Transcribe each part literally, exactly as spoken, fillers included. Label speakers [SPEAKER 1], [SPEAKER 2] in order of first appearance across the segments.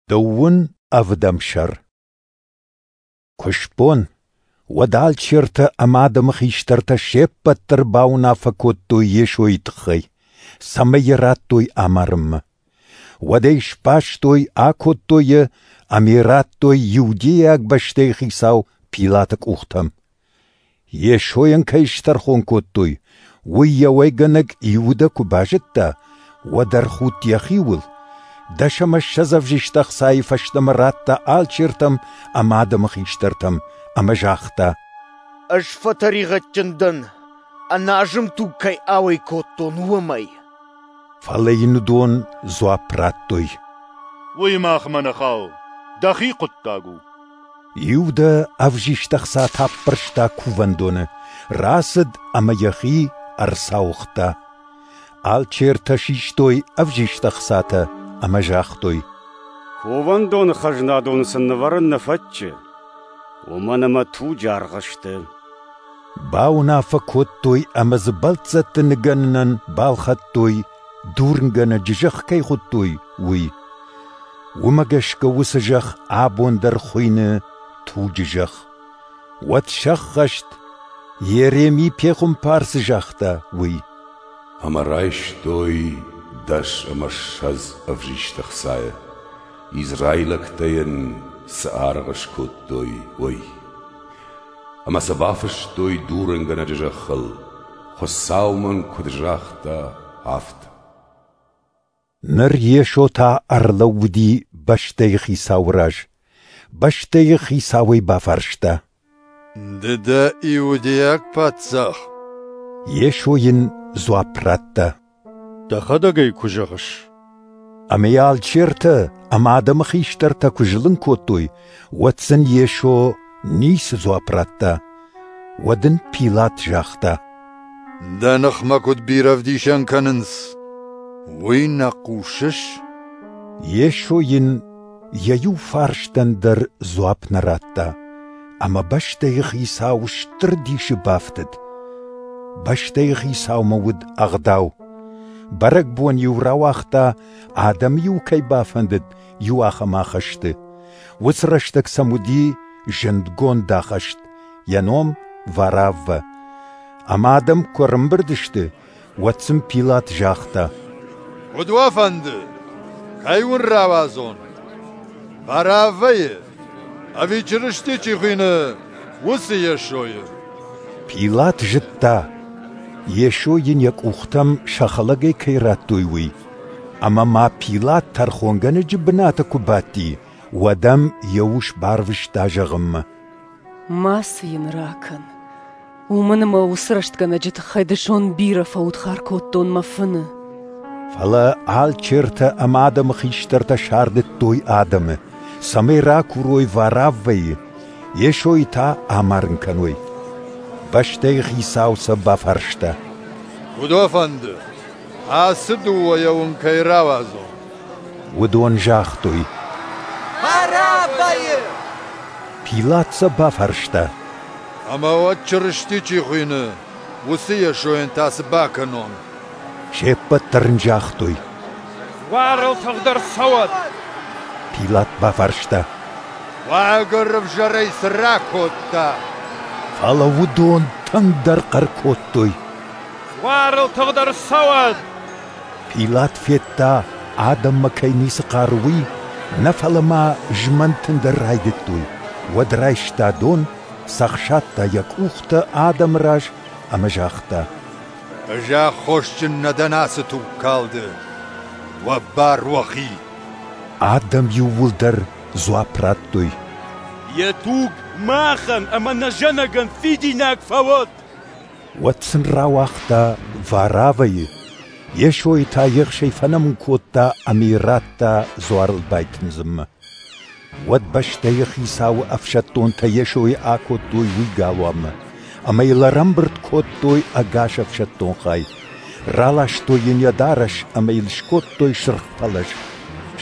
[SPEAKER 1] Дыууын ӕвдӕм сӕр. Куы сбон, уӕд алчертӕ ӕмӕ адӕмы хистӕртӕ се ппӕт дӕр бауынаффӕ кодтой Йесойы тыххӕй, цӕмӕй йӕ радтой амарынмӕ. Уӕд ӕй сбастой, акодтой йӕ ӕмӕ йӕ радтой иудейаг бӕстӕйы хицау Пилаты къухтӕм. Йесойӕн кӕй стӕрхон кодтой, уый йӕ уӕйгӕнӕг Иудӕ куы базыдта, уӕд ӕрхудт йӕхиуыл, дӕс ӕмӕ ссӕдз ӕвзист ӕхцайы фӕстӕмӕ радта алчертӕм ӕмӕ адӕмы хистӕртӕм ӕмӕ загъта:
[SPEAKER 2] «Ӕз фӕтӕригъӕдджын дӕн, ӕназым туг кӕй ауӕй кодтон, уымӕй».
[SPEAKER 1] Фӕлӕ йын уыдон дзуапп радтой:
[SPEAKER 3] «Уый махмӕ нӕ хауы, дӕхи хъуыддаг у».
[SPEAKER 1] Иудӕ ӕвзист ӕхцатӕ аппӕрста кувӕндоны, рацыд ӕмӕ йӕхи ӕрцауыгъта. Алчертӕ систой ӕвзист ӕхцатӕ ӕмӕ загътой:
[SPEAKER 4] «Кувӕндоны хӕзнадоны сын нывӕрын нӕ фӕтчы, уымӕн ӕмӕ туджы аргъ сты».
[SPEAKER 1] Бауынаффӕ кодтой ӕмӕ дзы бӕлццӕтты ныгӕнынӕн балхӕдтой, дурынгӕнӕджы зӕхх кӕй хуыдтой, уый. Уымӕ гӕсгӕ уыцы зӕхх абон дӕр хуыйны туджы зӕхх. Уӕд сӕххӕст, Йереми пехуымпар цы загъта, уый.
[SPEAKER 5] Ӕмӕ райстой дӕс ӕмӕ ссӕдз ӕвзист ӕхцайы, израилӕгтӕ йын цы аргъ скодтой, уый. Ӕмӕ сӕ бафыстой дурынгӕнӕджы зӕххыл, Хуыцау мын куыд загъта, афтӕ.
[SPEAKER 1] Ныр Йесо та ӕрлӕууыди бӕстӕйы хицауы раз. Бӕстӕйы хицауӕй бафарста:
[SPEAKER 6] «Ды дӕ иудейаг паддзах?»
[SPEAKER 1] Йесо йын дзуапп радта:
[SPEAKER 7] «Дӕхӕдӕг ӕй куы зӕгъыс».
[SPEAKER 1] Ӕмӕ йӕ алчертӕ ӕмӕ адӕмы хистӕртӕ куы зылын кодтой, уӕд сын Йесо ницы дзуапп радта. Уӕд ын Пилат загъта:
[SPEAKER 6] «Дӕ ныхмӕ куыд бирӕ ӕвдисӕн кӕнынц, уый нӕ хъусыс?»
[SPEAKER 1] Йесо йын йӕ иу фарстӕн дӕр дзуапп нӕ радта, ӕмӕ бӕстӕйы хицау стыр дисы бафтыд. Бӕстӕйы хицаумӕ уыд ӕгъдау. Бӕрӕгбон-иу рауагъта, адӕмы-иу кӕй бафӕндыд, иу ахӕм ахӕсты. Уыцы рӕстӕг сӕм уыди зындгонд ахӕст, йӕ ном Вараввӕ. Ӕмӕ адӕм куы ӕрӕмбырд сты, уӕд сын Пилат загъта:
[SPEAKER 6] «Куыд уӕ фӕнды, кӕй уын рауадзон? Вараввӕйы ӕви Чырысти чи хуыйны, уыцы Йесойы?»
[SPEAKER 1] Пилат зыдта, Йесо йын йӕ къухтӕм сӕ хӕлӕгӕй кӕй радтой, уый. Ӕмӕ ма Пилат тӕрхонгӕнӕджы бынаты куы бадти, уӕд ӕм йӕ ус барвыста зӕгъынмӕ:
[SPEAKER 8] «Мацы йын ракӕн, уымӕн ӕмӕ уыцы рӕстгӕнӕджы тыххӕй дысон бирӕ фӕудхар кодтон мӕ фыны».
[SPEAKER 1] Фӕлӕ алчертӕ ӕмӕ адӕмы хистӕртӕ сардыдтой адӕмы, цӕмӕй ракурой Вараввӕйы, Йесойы та амарын кӕной. Бӕстӕйы хицау сӕ бафарста:
[SPEAKER 6] «Куыд уӕ фӕнды, ацы дыууӕйӕ уын кӕй рауадзон?»
[SPEAKER 1] Уыдон загътой:
[SPEAKER 2] «Вараввӕйы!»
[SPEAKER 1] Пилат сӕ бафарста:
[SPEAKER 6] «Ӕмӕ уӕд Чырысти чи хуыйны, уыцы Йесойӕн та цы бакӕнон?»
[SPEAKER 1] Се ппӕт дӕр ын загътой:
[SPEAKER 9] «Дзуарыл тыгъд ӕрцӕуӕд!»
[SPEAKER 1] Пилат бафарста:
[SPEAKER 6] «Уагӕр ӕвзӕрӕй цы ракодта?»
[SPEAKER 1] Фӕлӕ уыдон тынгдӕр хъӕр кодтой:
[SPEAKER 9] «Дзуарыл тыгъд ӕрцӕуӕд!»
[SPEAKER 1] Пилат федта, адӕммӕ кӕй ницы хъары, уый, нӕ фӕлӕ ма змӕнтын дӕр райдыдтой. Уӕд райста дон, цӕхсадта йӕ къухтӕ адӕмы раз ӕмӕ загъта:
[SPEAKER 6] «Ӕз аххосджын нӕ дӕн ацы тугкалды, уӕ бар уӕхи».
[SPEAKER 1] Адӕм иууылдӕр дзуапп радтой:
[SPEAKER 9] «Йӕ туг махӕн ӕмӕ нӕ зӕнӕгӕн фидинаг фӕуӕд!»
[SPEAKER 1] Уӕд сын рауагъта Вараввӕйы, Йесойы та ехсӕй фӕнӕмын кодта ӕмӕ йӕ радта дзуарыл байтындзынмӕ. Уӕд бӕстӕйы хицауы ӕфсӕддонтӕ Йесойы акодтой уый галуанмӕ, ӕмӕ йыл ӕрӕмбырд кодтой ӕгас ӕфсӕддон хай. Раластой йын йӕ дарӕс ӕмӕ йыл скодтой сырх пӕлӕз.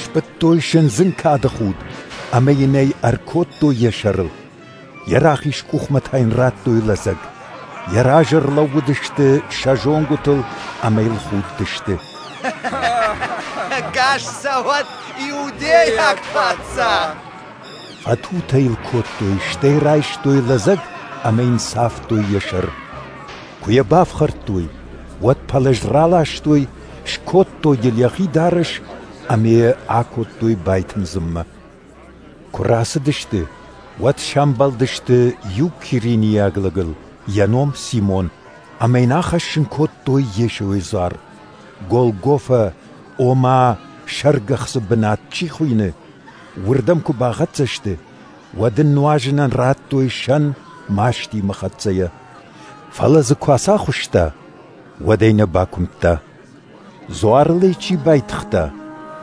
[SPEAKER 1] Сбыдтой сындзын кады худ ӕмӕ йын ӕй ӕркодтой йӕ сӕрыл. Йӕ рахиз къухмӕ та йын радтой лӕдзӕг. Йӕ разы ӕрлӕууыдысты сӕ зонгуытыл ӕмӕ йыл худтысты.
[SPEAKER 10] Ӕгас цӕуӕд иудейаг паддзах!
[SPEAKER 1] Фӕтутӕ йыл кодтой, стӕй райстой лӕдзӕг ӕмӕ йын цавтой йӕ сӕр. Куы йӕ бафхӕрдтой, уӕд пӕлӕз раластой, скодтой йыл йӕхи дарӕс ӕмӕ йӕ акодтой байтындзынмӕ. Куы рацыдысты, уӕд сӕмбӕлдысты иу киринийаг лӕгыл, йӕ ном Симон, ӕмӕ йын ахӕссын кодтой Йесойы дзуар. Голгофӕ, ома сӕргӕхцы бынат чи хуыйны, уырдӕм куы бахӕццӕ сты, уӕд ын нуазынӕн радтой сӕн мастимӕ хӕццӕйӕ. Фӕлӕ дзы куы ацахуыста, уӕд ӕй нӕ бакуымдта. Дзуарыл ӕй чи байтыгъта,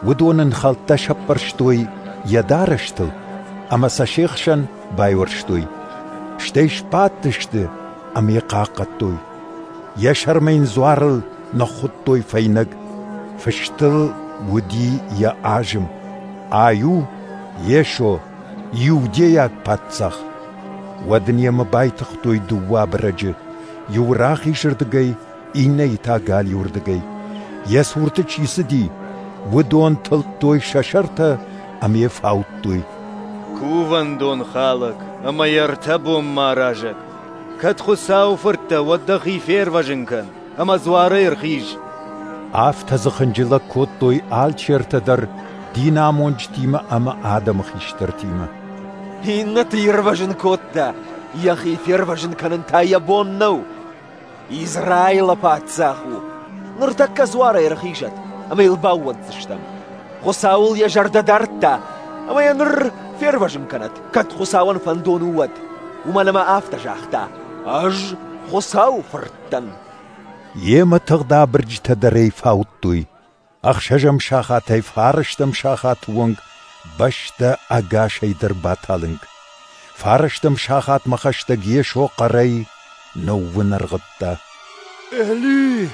[SPEAKER 1] уыдон ын хӕлттӕ сӕппӕрстой йӕ дарӕстыл ӕмӕ сӕ се хсӕн байуӕрстой. Стӕй сбадтысты ӕмӕ йӕ хъахъхъӕдтой. Йӕ сӕрмӕ йын дзуарыл ныххуыдтой фӕйнӕг. Фыст ыл уыди йӕ азым: «Ай у Йесо, иудейаг паддзах». Уӕд ын йемӕ байтыгътой дыууӕ абырӕджы, иуы рахизырдыгӕй, иннӕйы та галиуырдыгӕй. Йӕ цурты чи цыди, уыдон тылдтой сӕ сӕртӕ ӕмӕ йӕ фаудтой.
[SPEAKER 11] Кувӕндон халӕг ӕмӕ йӕ ӕртӕ бонмӕ аразӕг! Кӕд Хуыцауы фырт дӕ, уӕд дӕхи фервӕзын кӕн ӕмӕ дзуарӕй ӕрхиз!
[SPEAKER 1] Афтӕ дзы хынджылӕг кодтой алчертӕ дӕр динамонджытимӕ ӕмӕ адӕмы хистӕртимӕ.
[SPEAKER 10] Иннӕты ирвӕзын кодта, йӕхи фервӕзын кӕнын та йӕ бон нӕу. Израилы паддзах у. Ныртӕккӕ дзуарӕй ӕрхизӕд, ӕмӕ йыл баууӕнддзыстӕм. Хуыцауыл йӕ зӕрдӕ дардта, ӕмӕ йӕ ныр фервӕзын кӕнӕд, кӕд Хуыцауӕн фӕндон у, уӕд. Уымӕн ӕмӕ афтӕ загъта: «Ӕз Хуыцауы фырт дӕн».
[SPEAKER 1] Йемӕ тыгъд абырджытӕ дӕр ӕй фаудтой. Ӕхсӕзӕм сахатӕй фарӕстӕм сахаты онг бӕстӕ ӕгасӕй дӕр баталынг. Фарӕстӕм сахатмӕ хӕстӕг Йесо хъӕрӕй ныууынӕргъыдта:
[SPEAKER 6] Эли!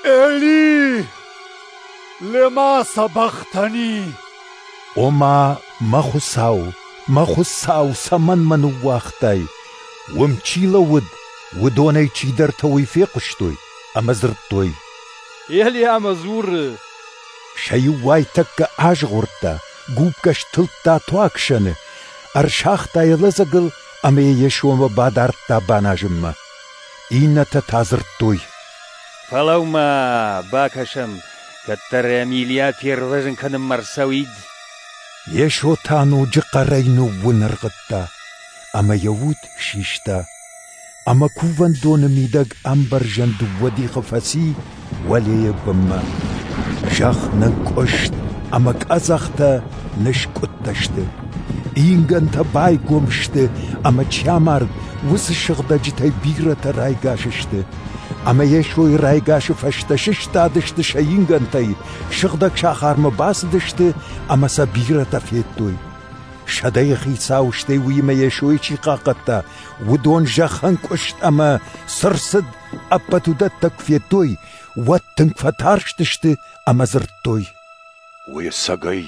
[SPEAKER 6] Эли! Лема сабахтани!
[SPEAKER 1] Ома, мӕ Хуыцау, мӕ Хуыцау, цӕмӕн мӕ ныууагътай? Уым чи лӕууыд, уыдонӕй чидӕртӕ уый фехъуыстой ӕмӕ дзырдтой:
[SPEAKER 9] Елиамӕ дзуры!
[SPEAKER 1] Сӕ иу уайтӕккӕ азгъордта, губкӕ стылдта туаг сӕны, ӕрсагъта йӕ лӕдзӕгыл ӕмӕ йӕ Йесомӕ бадардта баназынмӕ. Иннӕтӕ та дзырдтой:
[SPEAKER 12] Фӕлӕуу-ма, бакӕсӕм, кӕддӕр ӕм Илийа фервӕзын кӕнынмӕ ӕрцӕуид.
[SPEAKER 1] Йесо та ноджы хъӕрӕй ныууынӕргъыдта, ӕмӕ йӕ уд систа. Ӕмӕ кувӕндоны мидӕг ӕмбӕрзӕн дыууӕ дихы фӕци уӕлейӕ бынмӕ. Зӕхх нынкъуыст ӕмӕ къӕдзӕхтӕ ныскъуыдтӕ сты. Ингӕнтӕ байгом сты ӕмӕ чи амард, уыцы сыгъдӕджытӕй бирӕтӕ райгас сты. Ӕмӕ Йесойы райгасы фӕстӕ сыстадысты сӕ ингӕнтӕй, сыгъдӕг сахармӕ бацыдысты ӕмӕ сӕ бирӕтӕ федтой. Сӕдӕйы хицау, стӕй уыимӕ Йесойы чи хъахъхъӕдта, уыдон зӕххӕнкъуыст ӕмӕ цы рцыд, ӕппӕт уыдӕттӕ куы федтой, уӕд тынг фӕтарстысты ӕмӕ дзырдтой:
[SPEAKER 5] Уый ӕцӕгӕй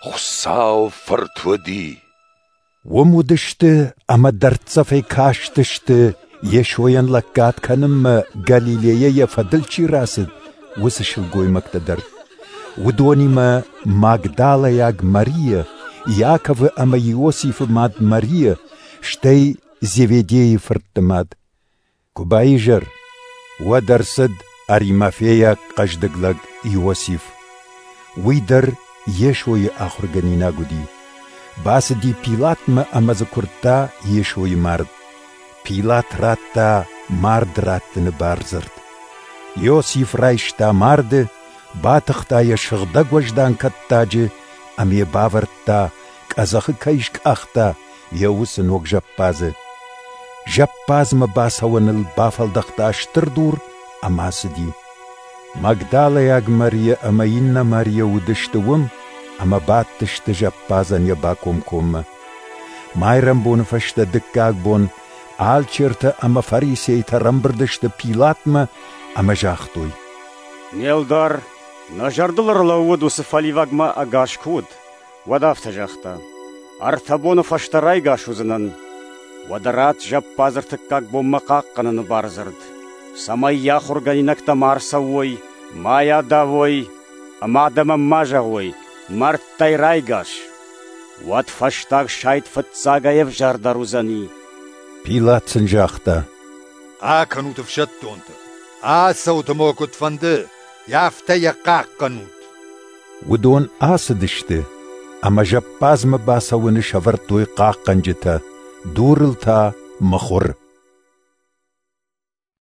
[SPEAKER 5] Хуыцауы Фырт уыди.
[SPEAKER 1] Уым уыдысты ӕмӕ дӕрддзӕфӕй кастысты, Йесойӕн лӕггад кӕнынмӕ Галилейӕ йӕ фӕдыл чи рацыд, уыцы сылгоймӕгтӕ дӕр. Уыдонимӕ Магдалӕйаг Мария, Иаковы ӕмӕ Иосифы мад Мария, стӕй Зеведейы фыртты мад. Куы баизӕр, уӕд ӕрцыд аримафейаг хъӕздыг лӕг Иосиф. Уый дӕр Йесойы ахуыргӕнинаг уыди. Бацыди Пилатмӕ ӕмӕ дзы куырдта Йесойы мард. Пилат радта мард раттыны бардзырд. Иосиф райста марды, батыхта йӕ сыгъдӕг уӕздан кӕттаджы ӕмӕ йӕ бавӕрдта, къӕдзӕхы кӕй скъахта, йӕ уыцы ног зӕппадзы. Зӕппадзмӕ бацӕуӕныл бафӕлдӕхта стыр дур ӕмӕ ацыди. Магдалӕйаг Мария ӕмӕ иннӕ Мария уыдысты уым ӕмӕ бадтысты зӕппадзӕн йӕ бакомкоммӕ. Майрӕмбоны фӕстӕ дыккаг бон алчертӕ ӕмӕ фарисейтӕ ӕрӕмбырд сты Пилатмӕ ӕмӕ загътой:
[SPEAKER 4] Не лдар, нӕ зӕрдыл ӕрлӕууыд уыцы фӕливӕгмӕ ӕгас куы уыд, уӕд афтӕ загъта: Ӕртӕ боны фӕстӕ райгас уыдзынӕн. Уӕдӕ ратт зӕппадз ӕртыккаг бонмӕ хъахъхъӕныны бардзырд, цӕмӕй йӕ ахуыргӕнинӕгтӕ ма ӕрцӕуой, ма йӕ адавой ӕмӕ адӕмӕн ма зӕгъой, мӕрдтӕй райгас. Уӕд фӕстаг сайд фыццагӕй ӕвзӕрдӕр уыдзӕни.
[SPEAKER 1] Пилат сын загъта:
[SPEAKER 6] Акӕнут ӕфсӕддонты, ацӕут ӕмӕ уӕ куыд фӕнды, афтӕ йӕ хъахъхъӕнут.
[SPEAKER 1] Уыдон ацыдысты ӕмӕ зӕппадзмӕ бацӕуӕны сӕвӕрдтой хъахъхъӕнджытӕ, дурыл та мыхуыр.